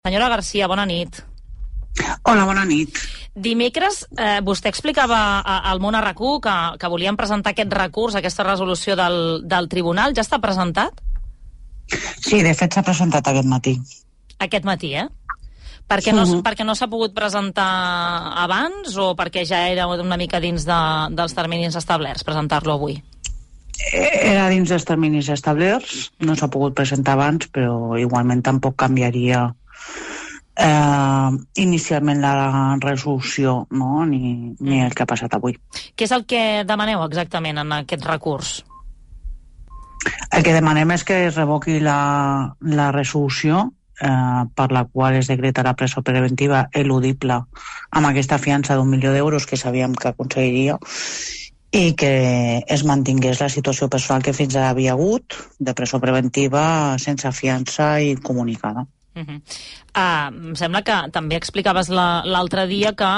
Senyora Garcia, bona nit. Hola, bona nit. Dimecres vostè explicava al Món RQ que volien presentar aquest recurs, aquesta resolució del tribunal. Ja està presentat? Sí, de fet s'ha presentat aquest matí. Aquest matí, Perquè no s'ha pogut presentar abans o perquè ja era una mica dins dels terminis establerts presentar-lo avui? Era dins dels terminis establerts, no s'ha pogut presentar abans, però igualment tampoc canviaria inicialment la resolució, no? ni el que ha passat avui. Què és el que demaneu exactament en aquest recurs? El que demanem és que es revoqui la resolució per la qual es decreta la presó preventiva eludible amb aquesta fiança d'1 milió d'euros que sabíem que aconseguiria, i que es mantingués la situació personal que fins ara havia hagut de presó preventiva sense fiança i comunicada. Em sembla que també explicaves l'altre dia que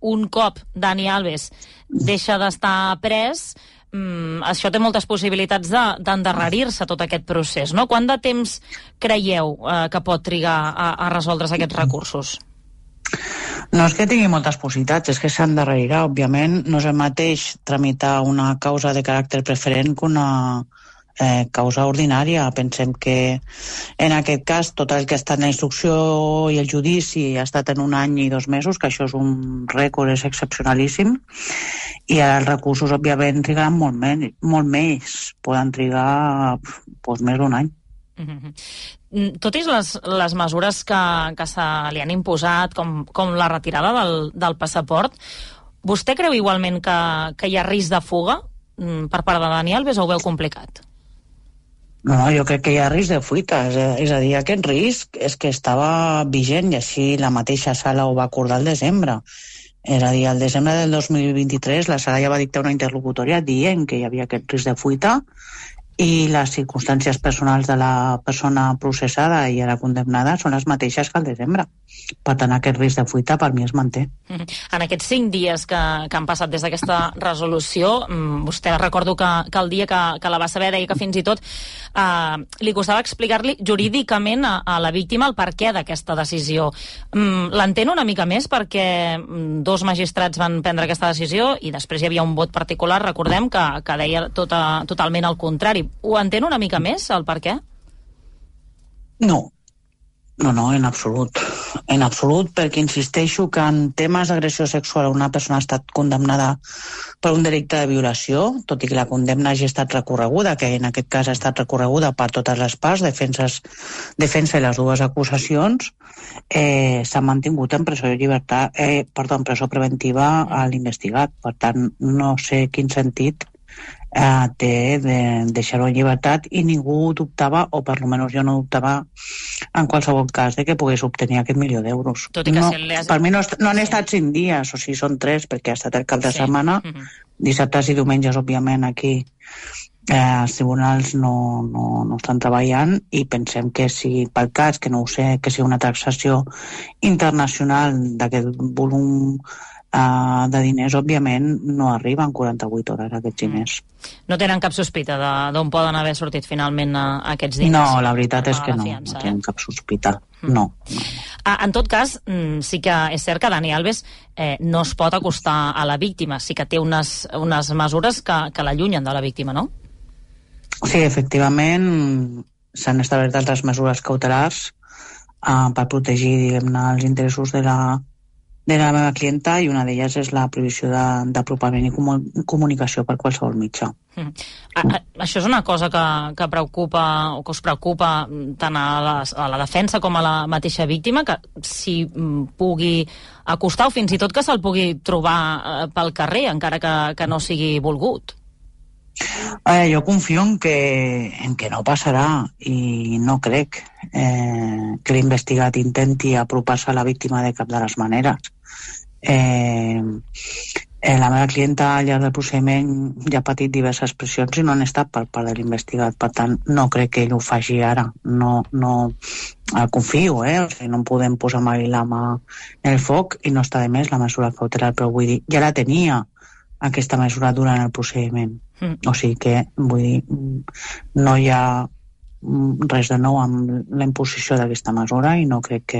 un cop Dani Alves deixa d'estar pres, això té moltes possibilitats d'endarrerir-se tot aquest procés, no? Quant de temps creieu que pot trigar a resoldre's aquests recursos? No és que tingui moltes possibilitats, és que s'endarrerirà, òbviament. No és el mateix tramitar una causa de caràcter preferent que una causa ordinària. Pensem que en aquest cas tot el que ha estat en la instrucció i el judici ha estat en 1 any i 2 mesos, que això és un rècord, és excepcionalíssim, i ara els recursos òbviament trigaran molt més, poden trigar més d'1 any. Tot i les mesures que se li han imposat, com la retirada del passaport, vostè creu igualment que hi ha risc de fuga per part de Dani Alves o ho veu complicat? No, jo crec que hi ha risc de fuita, és a dir, aquest risc és que estava vigent i així la mateixa sala ho va acordar al desembre. És a dir, al desembre del 2023 la sala ja va dictar una interlocutòria dient que hi havia aquest risc de fuita i les circumstàncies personals de la persona processada i ara condemnada són les mateixes que al desembre. Per tant, aquest risc de fuita per mi es manté. En aquests 5 dies que han passat des d'aquesta resolució, vostè recordo que el dia que la va saber deia que fins i tot li costava explicar-li jurídicament a la víctima el perquè d'aquesta decisió. L'entén una mica més perquè 2 magistrats van prendre aquesta decisió i després hi havia un vot particular, recordem, que deia totalment el contrari. Ho entén una mica més, el per què? No, en absolut. En absolut, perquè insisteixo que en temes d'agressió sexual una persona ha estat condemnada per un delicte de violació, tot i que la condemna hagi estat recorreguda, que en aquest cas ha estat recorreguda per totes les parts, defensa i les 2 acusacions, s'ha mantingut en presó preventiva a l'investigat. Per tant, no sé quin sentit té de deixar-ho en llibertat i ningú dubtava, o per almenys jo no dubtava en qualsevol cas de que pogués obtenir aquest 1 milió d'euros. Per mi no han estat 5 dies, o sigui, són 3, perquè ha estat el cap de setmana, dissabtes i diumenges, òbviament, aquí els tribunals no estan treballant i pensem que si pel cas, que no ho sé, que sigui una taxació internacional d'aquest volum de diners, òbviament no arriben 48 hores aquests diners. No tenen cap sospita d'on poden haver sortit finalment aquests diners? No, la veritat és que no tenen cap sospita. No. En tot cas, sí que és cert que Dani Alves no es pot acostar a la víctima, sí que té unes mesures que l'allunyen de la víctima, no? Sí, efectivament s'han establert altres mesures cautelars per protegir, diguem-ne, els interessos de la meva clienta, i una d'elles és la prohibició d'apropament i comunicació per qualsevol mitjà. Això és una cosa que preocupa o que us preocupa tant a la defensa com a la mateixa víctima, que s'hi pugui acostar o fins i tot que se'l pugui trobar pel carrer, encara que no sigui volgut? Jo confio en que no passarà i no crec que l'investigat intenti apropar-se a la víctima de cap de les maneres. La meva clienta al llarg del procediment ja ha patit diverses pressions i no han estat per part de l'investigat, per tant no crec que ell ho faci ara, no confio, o sigui, no podem posar mai la mà en el foc i no està de més la mesura cautelar, però vull dir, ja la tenia aquesta mesura durant el procediment. O sigui que, vull dir, no hi ha res de nou amb la imposició d'aquesta mesura i no crec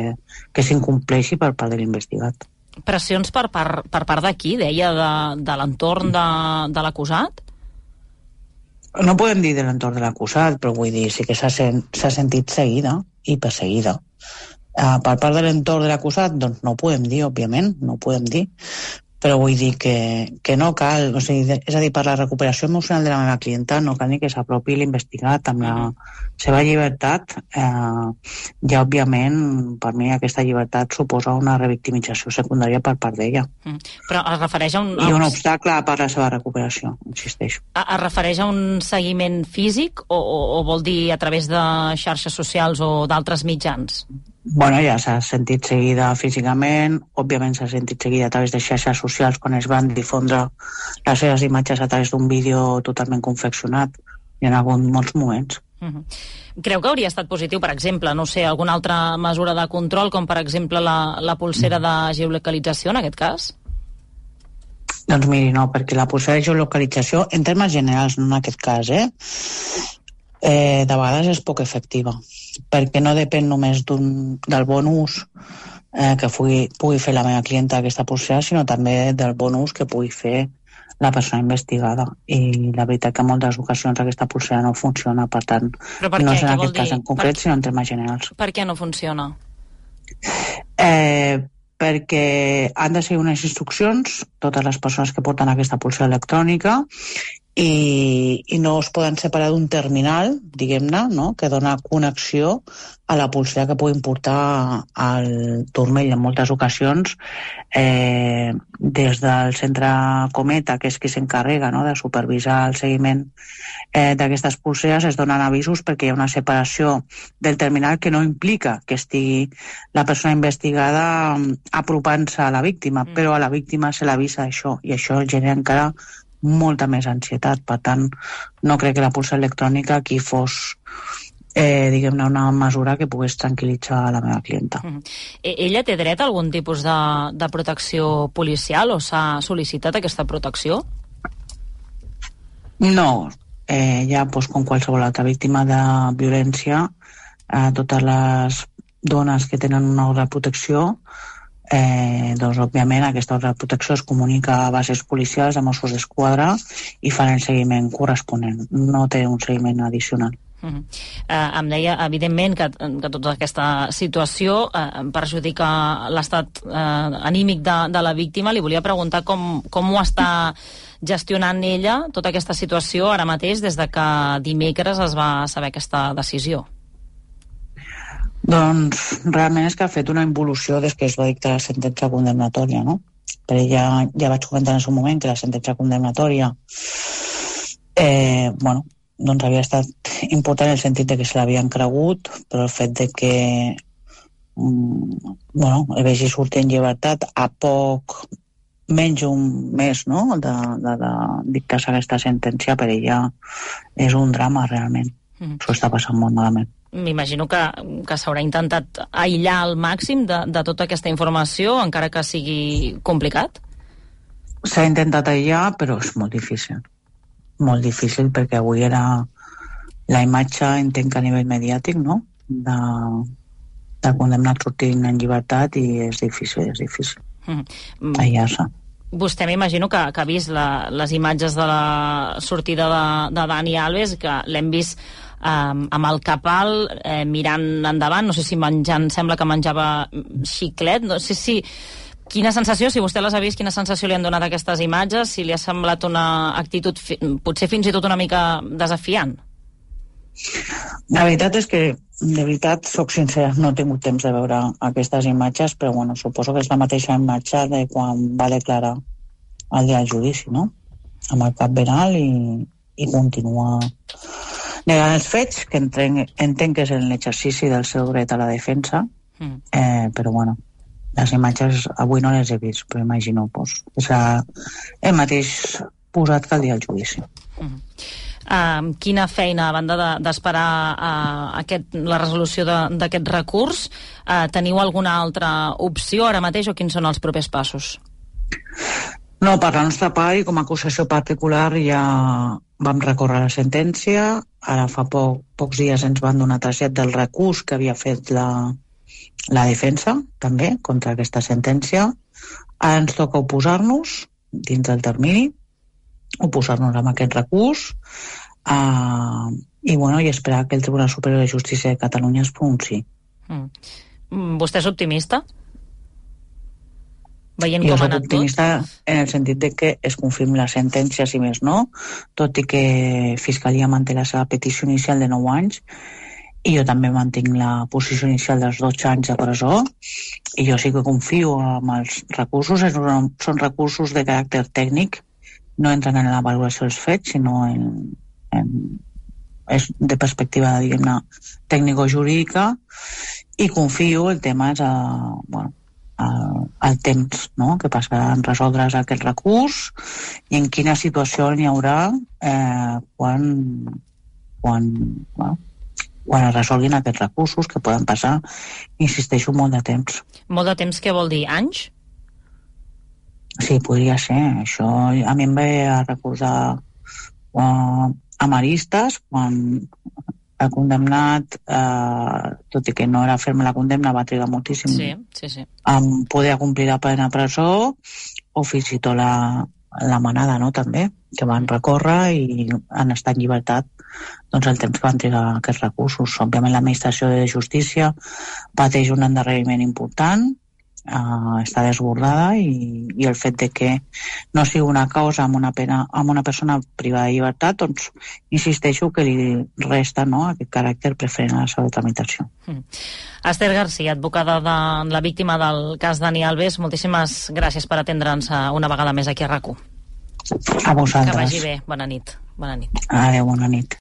que s'incompleixi per part de l'investigat. Pressions per part de qui, deia, de l'entorn de l'acusat? No podem dir de l'entorn de l'acusat, però vull dir, sí que s'ha sentit seguida i perseguida. Per part de l'entorn de l'acusat, doncs no ho podem dir, òbviament, no ho podem dir, però vull dir que no cal, o sigui, és a dir, per la recuperació emocional de la meva clienta no cal ni que s'apropi l'investigat amb la seva llibertat. Ja, òbviament, per mi aquesta llibertat suposa una revictimització secundària per part d'ella. Però es refereix a I un obstacle per la seva recuperació, insisteixo. Es refereix a un seguiment físic o vol dir a través de xarxes socials o d'altres mitjans? Bueno, ja s'ha sentit seguida físicament, òbviament s'ha sentit seguida a través de xarxes socials quan es van difondre les seves imatges a través d'un vídeo totalment confeccionat. Hi ha hagut molts moments. Creu que hauria estat positiu, per exemple, no sé, alguna altra mesura de control, com per exemple la pulsera de geolocalització, en aquest cas? Doncs miri, no, perquè la pulsera de geolocalització, en termes generals, no en aquest cas, de vegades és poc efectiva, perquè no depèn només del bon ús que pugui fer la meva clienta aquesta pulsera, sinó també del bon ús que pugui fer la persona investigada. I la veritat que en moltes ocasions aquesta pulsera no funciona, per tant, no és en aquest cas en concret, sinó en termes generals. Per què no funciona? Perquè han de seguir unes instruccions totes les persones que porten aquesta pulsera electrònica i no es poden separar d'un terminal, diguem-ne, no?, que dona connexió a la pulsera que puguin portar al turmell. En moltes ocasions, des del centre Cometa, que és qui s'encarrega, no?, de supervisar el seguiment d'aquestes pulseres, es donen avisos perquè hi ha una separació del terminal que no implica que estigui la persona investigada apropant-se a la víctima, però a la víctima se l'avisa això, i això genera encara molta més ansietat. Per tant, no crec que la pulsera electrònica aquí fos diguem-ne una mesura que pogués tranquil·litzar la meva clienta. Ella té dret a algun tipus de protecció policial o s'ha sol·licitat aquesta protecció? No, ja com qualsevol altra víctima de violència, totes les dones que tenen una ordre de protecció, doncs òbviament aquesta ordre de protecció es comunica a bases policials, a Mossos d'Esquadra, i fan el seguiment corresponent. No té un seguiment addicional. Em deia, evidentment, que tota aquesta situació perjudica l'estat anímic de la víctima. Li volia preguntar com ho està gestionant ella, tota aquesta situació, ara mateix, des de que dimecres es va saber aquesta decisió. Doncs realment és que ha fet una involució des que es va dictar la sentència condemnatòria, no? Però ja vaig comentar en el seu moment que la sentència condemnatòria doncs havia estat important en el sentit de que se l'havien cregut, però el fet de que el vegi sortir en llibertat a poc menys un mes, no?, de dictar-se aquesta sentència, per ella és un drama realment. Això està passant molt malament. M'imagino que s'haurà intentat aïllar al màxim de tota aquesta informació, encara que sigui complicat? S'ha intentat aïllar, però és molt difícil. Molt difícil, perquè avui era la imatge, entenc que a nivell mediàtic, no?, de condemnat sortint en llibertat, i és difícil aïllar-se. Vostè m'imagino que ha vist les imatges de la sortida de Dani Alves, que l'hem vist amb el cap alt, mirant endavant, no sé si menjant, sembla que menjava xiclet, no sé si... Quina sensació, si vostè les ha vist, quina sensació li han donat aquestes imatges, si li ha semblat una actitud potser fins i tot una mica desafiant? La veritat és que, de veritat, soc sincera, no he tingut temps de veure aquestes imatges, però bueno, suposo que és la mateixa imatge de quan va declarar el dia del judici, no?, amb el cap ben alt, i continua negant els fets, que entenc que és l'exercici del seu dret a la defensa, però bueno, les imatges avui no les he vist, però imagino és el mateix posat que el dia del judici. Quina feina, a banda d'esperar la resolució d'aquest recurs, teniu alguna altra opció ara mateix, o quins són els propers passos? No, per la nostra part, i com a acusació particular, ja vam recórrer la sentència, ara fa pocs dies ens van donar trasllat del recurs que havia fet la defensa, també, contra aquesta sentència. Ara ens toca oposar-nos, dins del termini, oposar-nos amb aquest recurs, i esperar que el Tribunal Superior de Justícia de Catalunya es pronunciï. Vostè és optimista? Veient jo com ha soc anat optimista en el sentit de que es confirmi la sentència, si més no, tot i que Fiscalia manté la seva petició inicial de 9 anys, i jo també mantinc la posició inicial dels 12 anys de presó, i jo sí que confio en els recursos. Són recursos de caràcter tècnic, no entren en la valoració dels fets, sinó és de perspectiva, diguem-ne, tècnico-jurídica, i confio, el tema és el temps, no?, que passarà en resoldre's aquest recurs i en quina situació n'hi haurà quan es resolguin aquests recursos, que poden passar, insisteixo, molt de temps. Molt de temps, què vol dir? Anys? Sí, podria ser. Això a mi em ve a recordar a Maristes, quan el condemnat, tot i que no era ferma la condemna, va trigar moltíssim en poder complir la pena de presó, o fins i tot la manada, no?, també, que van recórrer i han estat en llibertat doncs el temps que van trigar aquests recursos. Òbviament l'administració de justícia pateix un endarreriment important, està desbordada, i el fet de que no sigui una causa amb una persona privada de llibertat, doncs insisteixo que li resta, no?, aquest caràcter preferent a la seva tramitació. Esther García, advocada de la víctima del cas Dani Alves, moltíssimes gràcies per atendre'ns una vegada més aquí a RAC1. A vosaltres. Que vagi bé. Bona nit. Adéu, bona nit.